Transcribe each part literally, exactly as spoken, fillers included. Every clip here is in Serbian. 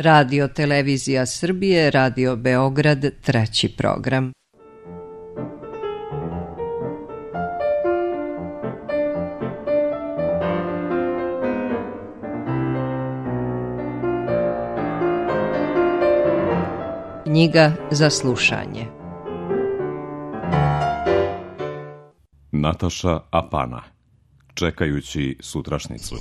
Radio Televizija Srbije, Radio Beograd, treći program. Knjiga za slušanje. Nataša Apana. Čekajući sutrašnicu.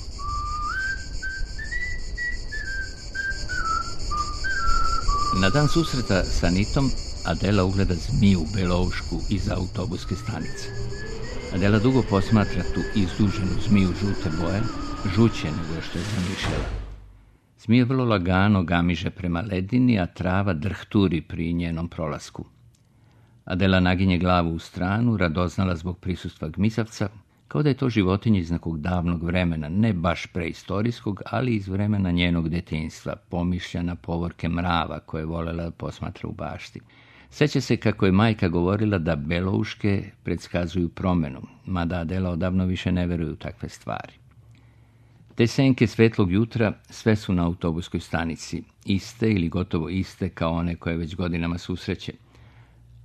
Na dan susreta sa Anitom, Adela ugleda zmiju beloušku iz autobuske stanice. Adela dugo posmatra tu izduženu zmiju žute boje, žuće nego što je zamišljala. Zmija vrlo lagano gamiže prema ledini, a trava drhturi pri njenom prolasku. Adela naginje glavu u stranu, radoznala zbog prisustva gmisavca, kao da je to životinja iz nekog davnog vremena, ne baš preistorijskog, ali iz vremena njenog detinjstva, pomišljana povorke mrava koje je volela da posmatra u bašti. Seća se kako je majka govorila da belouške predskazuju promenu, mada Adela odavno više ne veruje u takve stvari. Te senke svetlog jutra sve su na autobuskoj stanici, iste ili gotovo iste kao one koje već godinama susreće.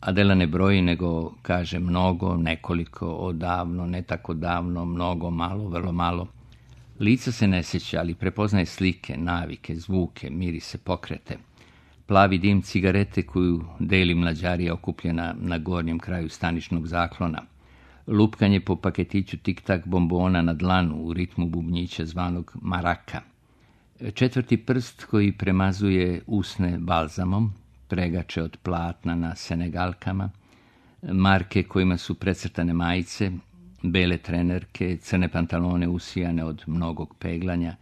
Adela ne broji, nego kaže mnogo, nekoliko, odavno, ne tako davno, mnogo, malo, vrlo malo. Lica se ne sjeća, ali prepoznaje slike, navike, zvuke, mirise, pokrete. Plavi dim cigarete koju deli mlađarija okupljena na gornjem kraju staničnog zaklona. Lupkanje po paketiću tik-tak bombona na dlanu u ritmu bubnjića zvanog maraka. Četvrti prst koji premazuje usne balzamom, pregače od platna na senegalkama, marke kojima su precrtane majice, bele trenerke, crne pantalone usijane od mnogog peglanja,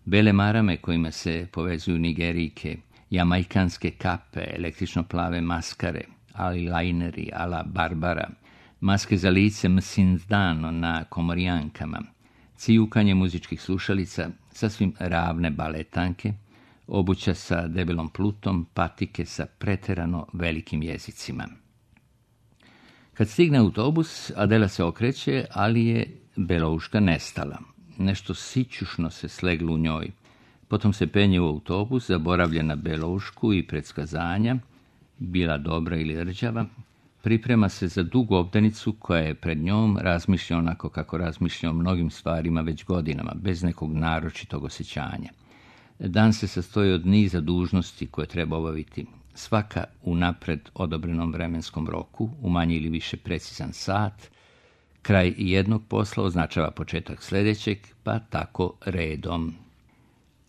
bele marame kojima se povezuju nigerijke, jamajkanske kape, električno plave maskare, ali lajneri ala Barbara, maske za lice msindano na komorijankama, cijukanje muzičkih slušalica, sasvim ravne baletanke, obuća sa debelom plutom, patike sa preterano velikim jezicima. Kad stigne autobus, Adela se okreće, ali je belouška nestala. Nešto sićušno se sleglo u njoj. Potom se penje u autobus, zaboravlja na beloušku i predskazanja, bila dobra ili rđava, priprema se za dugu obdanicu koja je pred njom, razmišlja onako kako razmišlja o mnogim stvarima već godinama, bez nekog naročitog osjećanja. Dan se sastoji od niza dužnosti koje treba obaviti, svaka u napred odobrenom vremenskom roku, u manje ili više precizan sat. Kraj jednog posla označava početak sljedećeg, pa tako redom.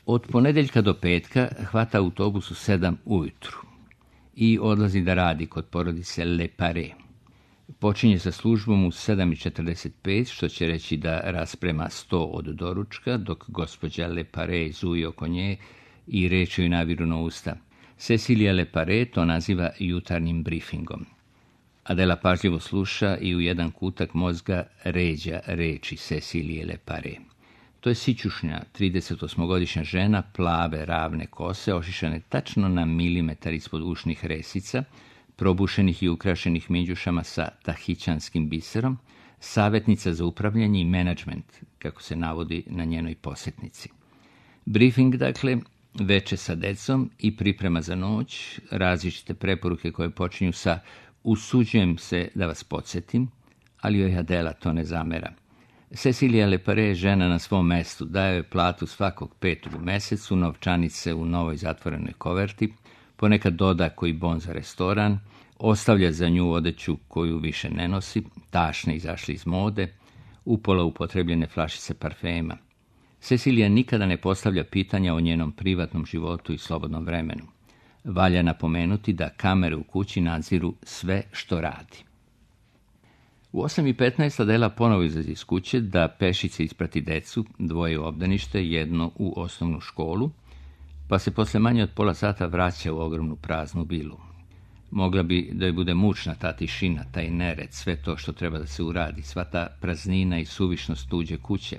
Od ponedeljka do petka hvata autobus u sedam ujutru i odlazi da radi kod porodice Lepare. Počinje sa službom u sedam i četrdeset pet, što će reći da rasprema sto od doručka, dok gospođa Lepare zuji oko nje i reče joj naviru na usta. Cecilija Lepare to naziva jutarnjim briefingom. Adela pažljivo sluša i u jedan kutak mozga ređa reči Cecilije Lepare. To je sićušnja, tridesetosmogodišnja žena, plave, ravne kose, ošišane tačno na milimetar ispod ušnih resica, probušenih i ukrašenih minđušama sa tahićanskim biserom, savjetnica za upravljanje i menadžment, kako se navodi na njenoj posjetnici. Briefing, dakle, veče sa decom i priprema za noć, različite preporuke koje počinju sa usuđujem se da vas podsjetim, ali joj Adela to ne zamera. Cecilija Lepare je žena na svom mestu, daje joj platu svakog petog u mesecu, novčanice u novoj zatvorenoj koverti, ponekad doda koji bon za restoran, ostavlja za nju odeću koju više ne nosi, tašne izašli iz mode, upola upotrebljene flašice parfema. Cecilija nikada ne postavlja pitanja o njenom privatnom životu i slobodnom vremenu. Valja napomenuti da kamere u kući nadziru sve što radi. U osam i petnaest Adela ponovo izlazi iz kuće da pešice isprati decu, dvoje u obdanište, jedno u osnovnu školu, pa se posle manje od pola sata vraća u ogromnu praznu vilu. Mogla bi da joj bude mučna ta tišina, taj nered, sve to što treba da se uradi, sva ta praznina i suvišnost tuđe kuće,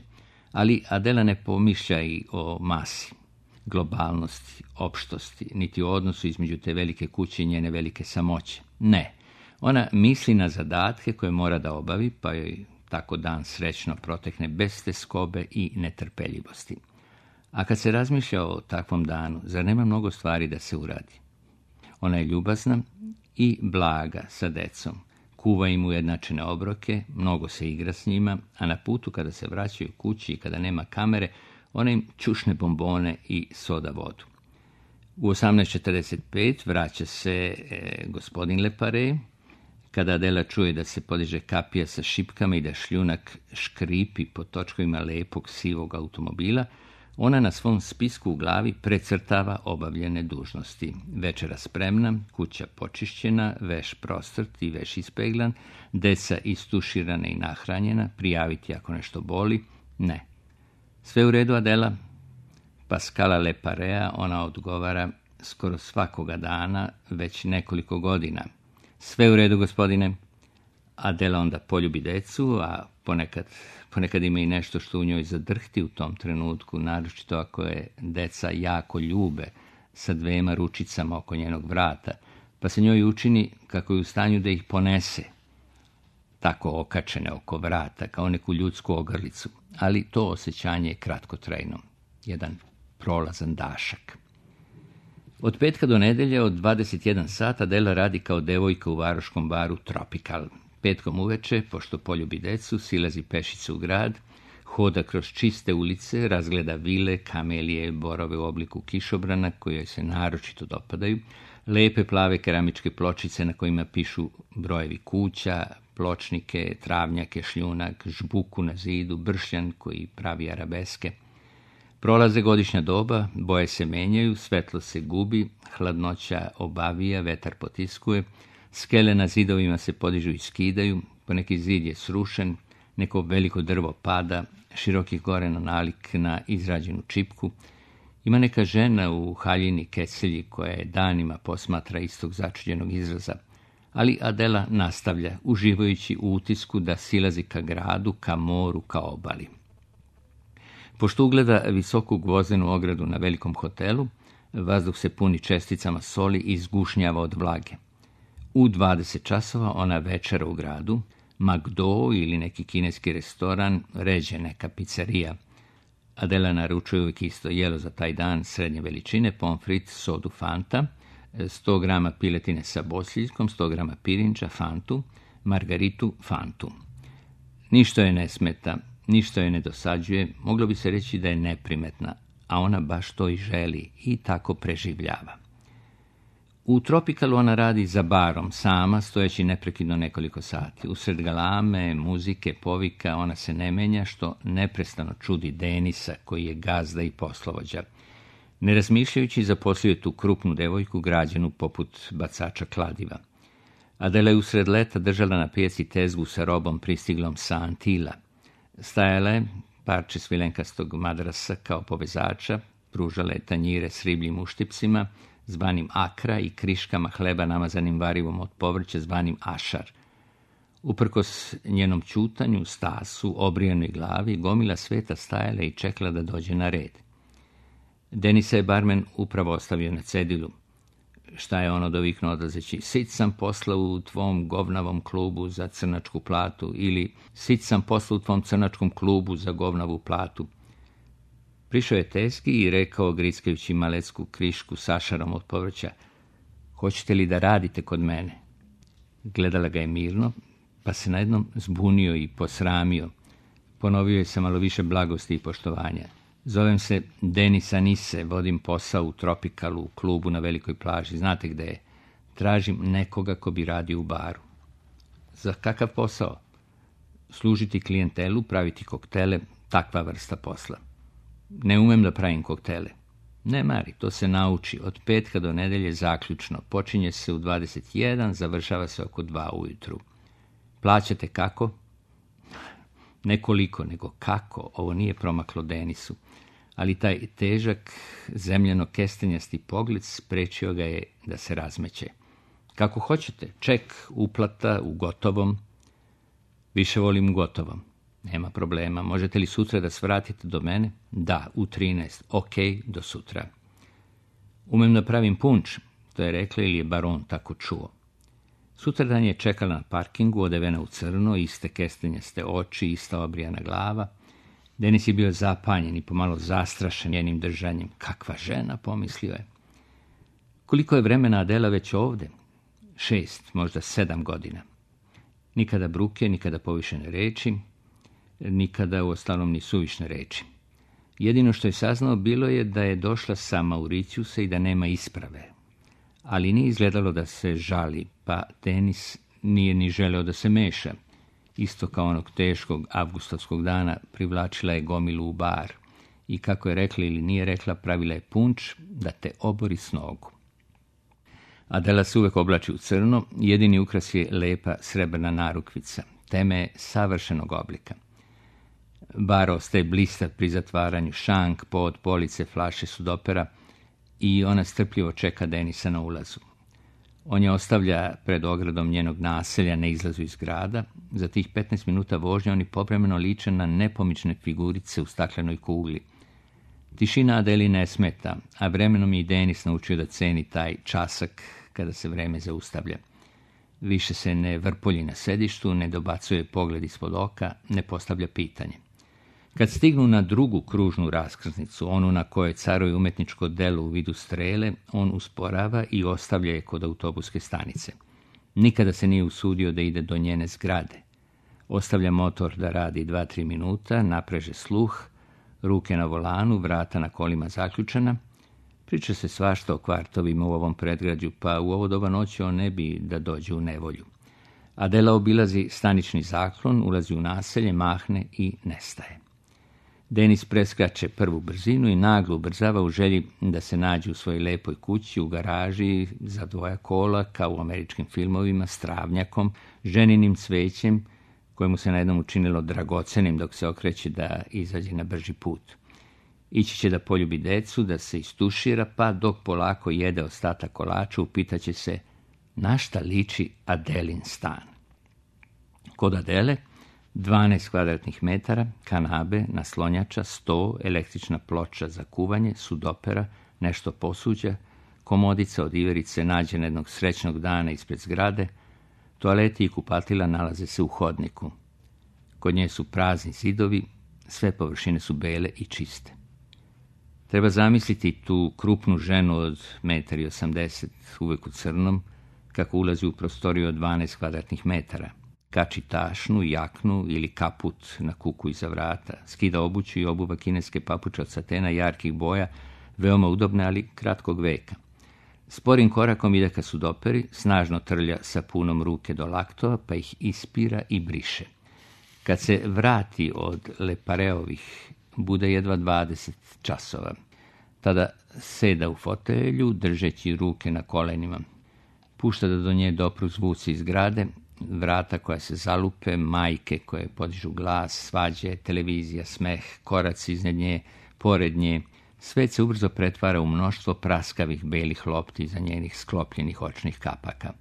ali Adela ne pomišlja i o masi, globalnosti, opštosti, niti o odnosu između te velike kuće i njene velike samoće. Ne, ona misli na zadatke koje mora da obavi, pa joj tako dan srećno protekne bez teskobe i netrpeljivosti. A kad se razmišlja o takvom danu, zar nema mnogo stvari da se uradi? Ona je ljubazna i blaga sa decom. Kuva im ujednačene obroke, mnogo se igra s njima, a na putu kada se vraćaju kući i kada nema kamere, ona im čušne bombone i soda vodu. U osamnaest četrdeset pet vraća se e, gospodin Lepare. Kada Adela čuje da se podiže kapija sa šipkama i da šljunak škripi po točkovima lepog sivog automobila, ona na svom spisku u glavi precrtava obavljene dužnosti. Večera spremna, kuća počišćena, veš prostrt i veš ispeglan, deca istuširana i nahranjena, prijaviti ako nešto boli. Ne. Sve u redu, Adela? Pascala Leparea, ona odgovara skoro svakoga dana, već nekoliko godina. Sve u redu, gospodine. Adela onda poljubi decu, a ponekad, ponekad ima i nešto što u njoj zadrhti u tom trenutku, naročito ako je deca jako ljube sa dvema ručicama oko njenog vrata, pa se njoj učini kako je u stanju da ih ponese, tako okačene oko vrata, kao neku ljudsku ogrlicu, ali to osjećanje je kratkotrajno, jedan prolazan dašak. Od petka do nedelje od dvadeset jedan sat Adela radi kao devojka u varoškom baru Tropical. Petkom uveče, pošto poljubi decu, silazi pešice u grad, hoda kroz čiste ulice, razgleda vile, kamelije, borove u obliku kišobrana koji joj se naročito dopadaju, lepe plave keramičke pločice na kojima pišu brojevi kuća, pločnike, travnjake, šljunak, žbuku na zidu, bršljan koji pravi arabeske. Prolaze godišnja doba, boje se menjaju, svetlo se gubi, hladnoća obavija, vetar potiskuje, skele na zidovima se podižu i skidaju, poneki zid je srušen, neko veliko drvo pada, širokih gorena nalik na izrađenu čipku. Ima neka žena u haljini kecelji koja je danima posmatra istog začuđenog izraza, ali Adela nastavlja, uživajući u utisku da silazi ka gradu, ka moru, ka obali. Pošto ugleda visoku gvozdenu ogradu na velikom hotelu, vazduh se puni česticama soli i izgušnjava od vlage. U dvadeset časova ona večera u gradu, Magdo ili neki kineski restoran, ređe neka pizzerija. Adela naručuje uvijek isto jelo za taj dan srednje veličine, pomfrit, sodu, fanta, sto grama piletine sa bosiljskom, sto grama pirinča, fantu, margaritu, fantu. Ništa je ne smeta, ništa je ne dosađuje, moglo bi se reći da je neprimetna, a ona baš to i želi i tako preživljava. U Tropicalu ona radi za barom, sama, stojeći neprekidno nekoliko sati. Usred galame, muzike, povika, ona se ne menja, što neprestano čudi Denisa, koji je gazda i poslovođa. Ne razmišljajući, zaposlio tu krupnu devojku, građenu poput bacača kladiva. Adela je usred leta držala na pijaci tezgu sa robom pristiglom sa Antila. Stajala je parče svilenkastog madrasa kao povezača, pružala je tanjire s ribljim uštipcima, zvanim akra i kriškama hleba namazanim varivom od povrća zvanim ašar. Uprkos njenom ćutanju, stasu, obrijanoj glavi, gomila sveta stajala i čekala da dođe na red. Denisa je barmen upravo ostavio na cedilu. Šta je ono doviknuo odlazeći? Sit sam posla u tvom govnavom klubu za crnačku platu, ili sit sam posla u tvom crnačkom klubu za govnavu platu. Prišao je tezgi i rekao, grickajući malecku krišku s ašarom od povrća, hoćete li da radite kod mene? Gledala ga je mirno, pa se najednom zbunio i posramio. Ponovio je sa malo više blagosti i poštovanja. Zovem se Denis Anise, vodim posao u Tropicalu, u klubu na velikoj plaži. Znate gde je? Tražim nekoga ko bi radio u baru. Za kakav posao? Služiti klijentelu, praviti koktele, takva vrsta posla. Ne umem da pravim koktele. Ne mari, to se nauči. Od petka do nedelje zaključno. Počinje se u dvadeset jedan, završava se oko dva ujutru. Plaćate kako? Nekoliko, nego kako. Ovo nije promaklo Denisu. Ali taj težak, zemljano kestenjasti pogled sprečio ga je da se razmeće. Kako hoćete, ček, uplata, u gotovom. Više volim u gotovom. Nema problema. Možete li sutra da svratite do mene? Da, u trinaest. Ok, do sutra. Umem da pravim punč, to je rekla ili je baron tako čuo. Sutradan je čekala na parkingu, odevena u crno, iste kestenjaste oči, ista obrijana glava. Denis je bio zapanjen i pomalo zastrašen njenim držanjem. Kakva žena, pomislio je. Koliko je vremena Adela već ovde? Šest, možda sedam godina. Nikada bruke, nikada povišene reči, nikada u ostalom ni suvišne reči. Jedino što je saznao bilo je da je došla sa Mauriciusa i da nema isprave. Ali nije izgledalo da se žali, pa Denis nije ni želeo da se meša. Isto kao onog teškog avgustovskog dana privlačila je gomilu u bar i kako je rekla ili nije rekla, pravila je punč da te obori s nogu. Adela se uvek oblači u crno, jedini ukras je lepa srebrna narukvica, teme savršenog oblika. Bar ostaje blistav pri zatvaranju, šank, pod, police, flaše sudopera i ona strpljivo čeka Denisa na ulazu. On je ostavlja pred ogradom njenog naselja na izlazu iz grada. Za tih petnaest minuta vožnje oni povremeno liče na nepomične figurice u staklenoj kugli. Tišina Adeli ne smeta, a vremenom je i Denis naučio da ceni taj časak kada se vreme zaustavlja. Više se ne vrpolji na sedištu, ne dobacuje pogled ispod oka, ne postavlja pitanje. Kad stignu na drugu kružnu raskrsnicu, onu na kojoj caruje umetničko delo u vidu strele, on usporava i ostavlja je kod autobuske stanice. Nikada se nije usudio da ide do njene zgrade. Ostavlja motor da radi dva tri minuta, napreže sluh, ruke na volanu, vrata na kolima zaključana. Priča se svašta o kvartovima u ovom predgrađu, pa u ovo doba noći on ne bi da dođe u nevolju. Adela obilazi stanični zaklon, ulazi u naselje, mahne i nestaje. Denis preskače prvu brzinu i naglo ubrzava u želji da se nađe u svojoj lepoj kući, u garaži, za dvoja kola, kao u američkim filmovima, s travnjakom, ženinim cvećem, kojemu se na jednom učinilo dragocenim dok se okreće da izađe na brži put. Ići će da poljubi decu, da se istušira, pa dok polako jede ostatak kolača, upitaće se na šta liči Adelin stan. Kod Adele dvanaest kvadratnih metara, kanabe, naslonjača, sto, električna ploča za kuvanje, sudopera, nešto posuđa, komodica od iverice nađena jednog srećnog dana ispred zgrade, toaleti i kupatila nalaze se u hodniku. Kod nje su prazni zidovi, sve površine su bele i čiste. Treba zamisliti tu krupnu ženu od metar i osamdeset, uvek u crnom, kako ulazi u prostoriju od dvanaest kvadratnih metara. Kači tašnu, jaknu ili kaput na kuku iza vrata, skida obuću i obuva kineske papuče od satena jarkih boja, veoma udobne, ali kratkog veka. Sporim korakom ide ka sudoperi, snažno trlja sapunom ruke do laktova, pa ih ispira i briše. Kad se vrati od Lepareovih, bude jedva dvadeset časova. Tada seda u fotelju, držeći ruke na kolenima. Pušta da do nje dopru zvuci iz zgrade, vrata koja se zalupe, majke koje podižu glas, svađe, televizija, smeh, koraci iznad nje, pored nje. Svet se ubrzo pretvara u mnoštvo praskavih belih lopti iza njenih sklopljenih očnih kapaka.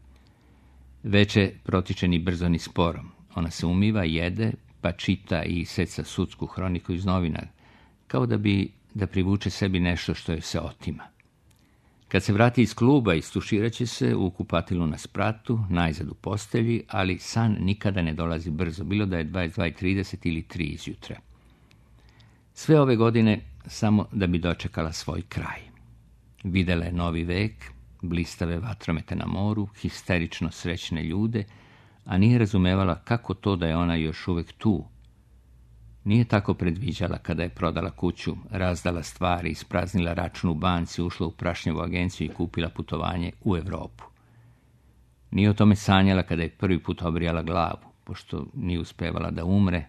Veče protiče ni brzo ni sporo. Ona se umiva, jede, pa čita i seca sudsku hroniku iz novina, kao da bi da privuče sebi nešto što joj se otima. Kad se vrati iz kluba, istuširat će se u kupatilu na spratu, najzad u postelji, ali san nikada ne dolazi brzo, bilo da je dvadeset dva i trideset ili tri izjutra. Sve ove godine samo da bi dočekala svoj kraj. Videla je novi vek, blistave vatromete na moru, histerično srećne ljude, a nije razumevala kako to da je ona još uvek tu. Nije tako predviđala kada je prodala kuću, razdala stvari, ispraznila račun u banci, ušla u prašnjevu agenciju i kupila putovanje u Evropu. Nije o tome sanjala kada je prvi put obrijala glavu, pošto nije uspevala da umre.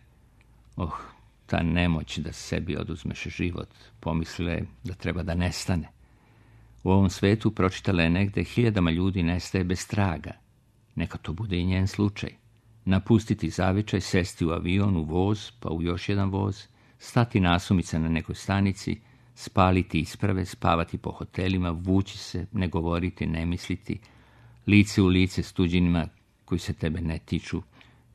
Oh, ta nemoć da sebi oduzmeš život, pomislila je da treba da nestane. U ovom svetu, pročitala je negde, hiljadama ljudi nestaje bez traga. Neka to bude i njen slučaj. Napustiti zavičaj, sesti u avion, u voz, pa u još jedan voz, stati nasumice na nekoj stanici, spaliti isprave, spavati po hotelima, vući se, ne govoriti, ne misliti, lice u lice s tuđinima koji se tebe ne tiču,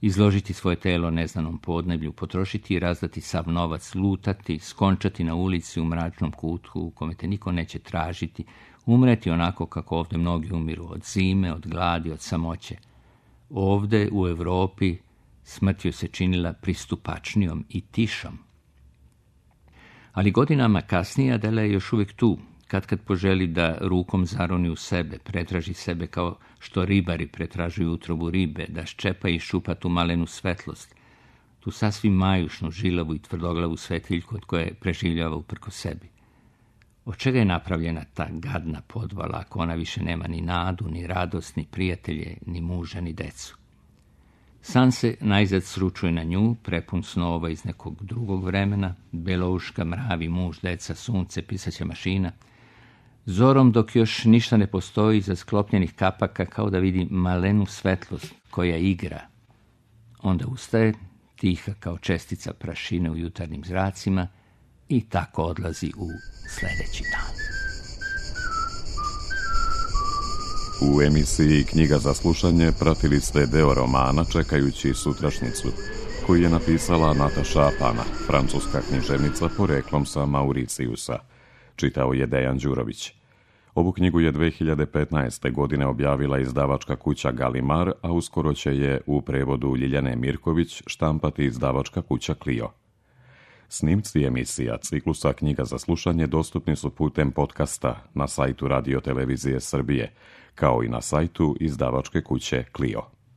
izložiti svoje telo neznanom podneblju, potrošiti i razdati sav novac, lutati, skončati na ulici u mračnom kutku u kome te niko neće tražiti, umreti onako kako ovde mnogi umiru, od zime, od gladi, od samoće. Ovde, u Evropi, smrt joj se činila pristupačnijom i tišom. Ali godinama kasnije Adela je još uvijek tu, kad kad poželi da rukom zaroni u sebe, pretraži sebe kao što ribari pretražuju utrobu ribe, da ščepa i šupa tu malenu svetlost, tu sasvim majušnu, žilavu i tvrdoglavu svetiljku od koje preživljava uprko sebi. Od čega je napravljena ta gadna podvala, ako ona više nema ni nadu, ni radost, ni prijatelje, ni muža, ni decu? San se najzad sručuje na nju, prepun snova iz nekog drugog vremena, belouška, mravi, muž, deca, sunce, pisaća mašina. Zorom, dok još ništa ne postoji, iza sklopljenih kapaka, kao da vidi malenu svetlost koja igra. Onda ustaje, tiha kao čestica prašine u jutarnjim zracima, i tako odlazi u sljedeći dan. U emisiji Knjiga za slušanje pratili ste deo romana Čekajući sutrašnjicu, koji je napisala Nataša Apana, francuska književnica poreklom sa Mauricijusa. Čitao je Dejan Đurović. Ovu knjigu je dve hiljade petnaeste. godine objavila izdavačka kuća Galimar, a uskoro će je u prevodu Ljiljane Mirković štampati izdavačka kuća Clio. Snimci emisija ciklusa Knjiga za slušanje dostupni su putem podcasta na sajtu Radio Televizije Srbije, kao i na sajtu izdavačke kuće Clio.